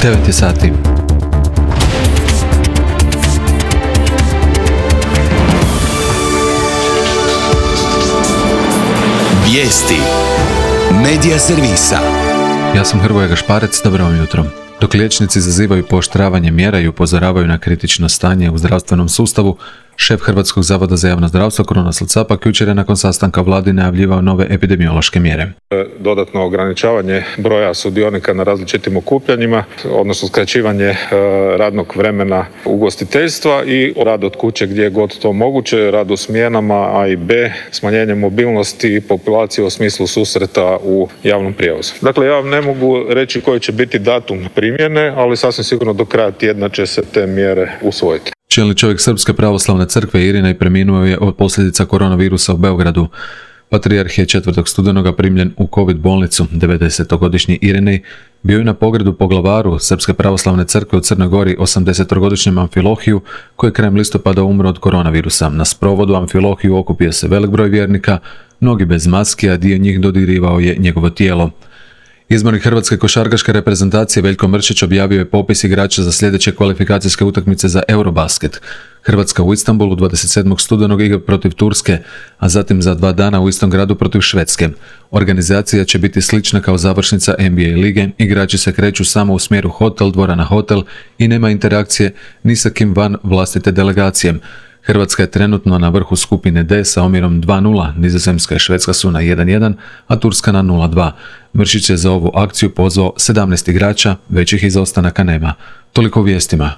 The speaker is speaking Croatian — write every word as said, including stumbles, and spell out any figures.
devet je sati. Vijesti Medija servisa. Ja sam Hrvoje Gašparec, dobro vam jutro. Dok liječnici zazivaju pooštravanje mjera i upozoravaju na kritično stanje u zdravstvenom sustavu, šef Hrvatskog zavoda za javno zdravstvo Krunoslav Capak jučer je nakon sastanka vladi najavljivao nove epidemiološke mjere. Dodatno ograničavanje broja sudionika na različitim okupljanjima, odnosno skraćivanje radnog vremena ugostiteljstva i rad od kuće gdje je god to moguće, rad u smjenama A i B, smanjenje mobilnosti populacije u smislu susreta u javnom prijevozu. Dakle, ja vam ne mogu reći koji će biti datum primjene, ali sasvim sigurno do kraja tjedna će se te mjere usvojiti. Čelni čovjek Srpske pravoslavne crkve Irinej preminuo je od posljedica koronavirusa u Beogradu. Patrijarh je četvrtog studenoga primljen u COVID bolnicu. devedesetogodišnji Irinej bio je na pogredu poglavaru Srpske pravoslavne crkve u Crnoj Gori osamdesetogodišnjem Amfilohiju, koji je krajem listopada umro od koronavirusa. Na sprovodu Amfilohiju okupio se velik broj vjernika, mnogi bez maski, a dio njih dodirivao je njegovo tijelo. Izbornik hrvatske košarkaške reprezentacije Veljko Mršić objavio je popis igrača za sljedeće kvalifikacijske utakmice za Eurobasket. Hrvatska u Istanbulu dvadeset sedmog studenog igra protiv Turske, a zatim za dva dana u istom gradu protiv Švedske. Organizacija će biti slična kao završnica N B A lige, igrači se kreću samo u smjeru hotel, dvorana hotel i nema interakcije ni sa kim van vlastite delegacije. Hrvatska je trenutno na vrhu skupine D sa omjerom dva nula, Nizozemska i Švedska su na jedan jedan, a Turska na nula dva. Mršić je za ovu akciju pozvao sedamnaest igrača, većih izostanaka nema. Toliko u vijestima.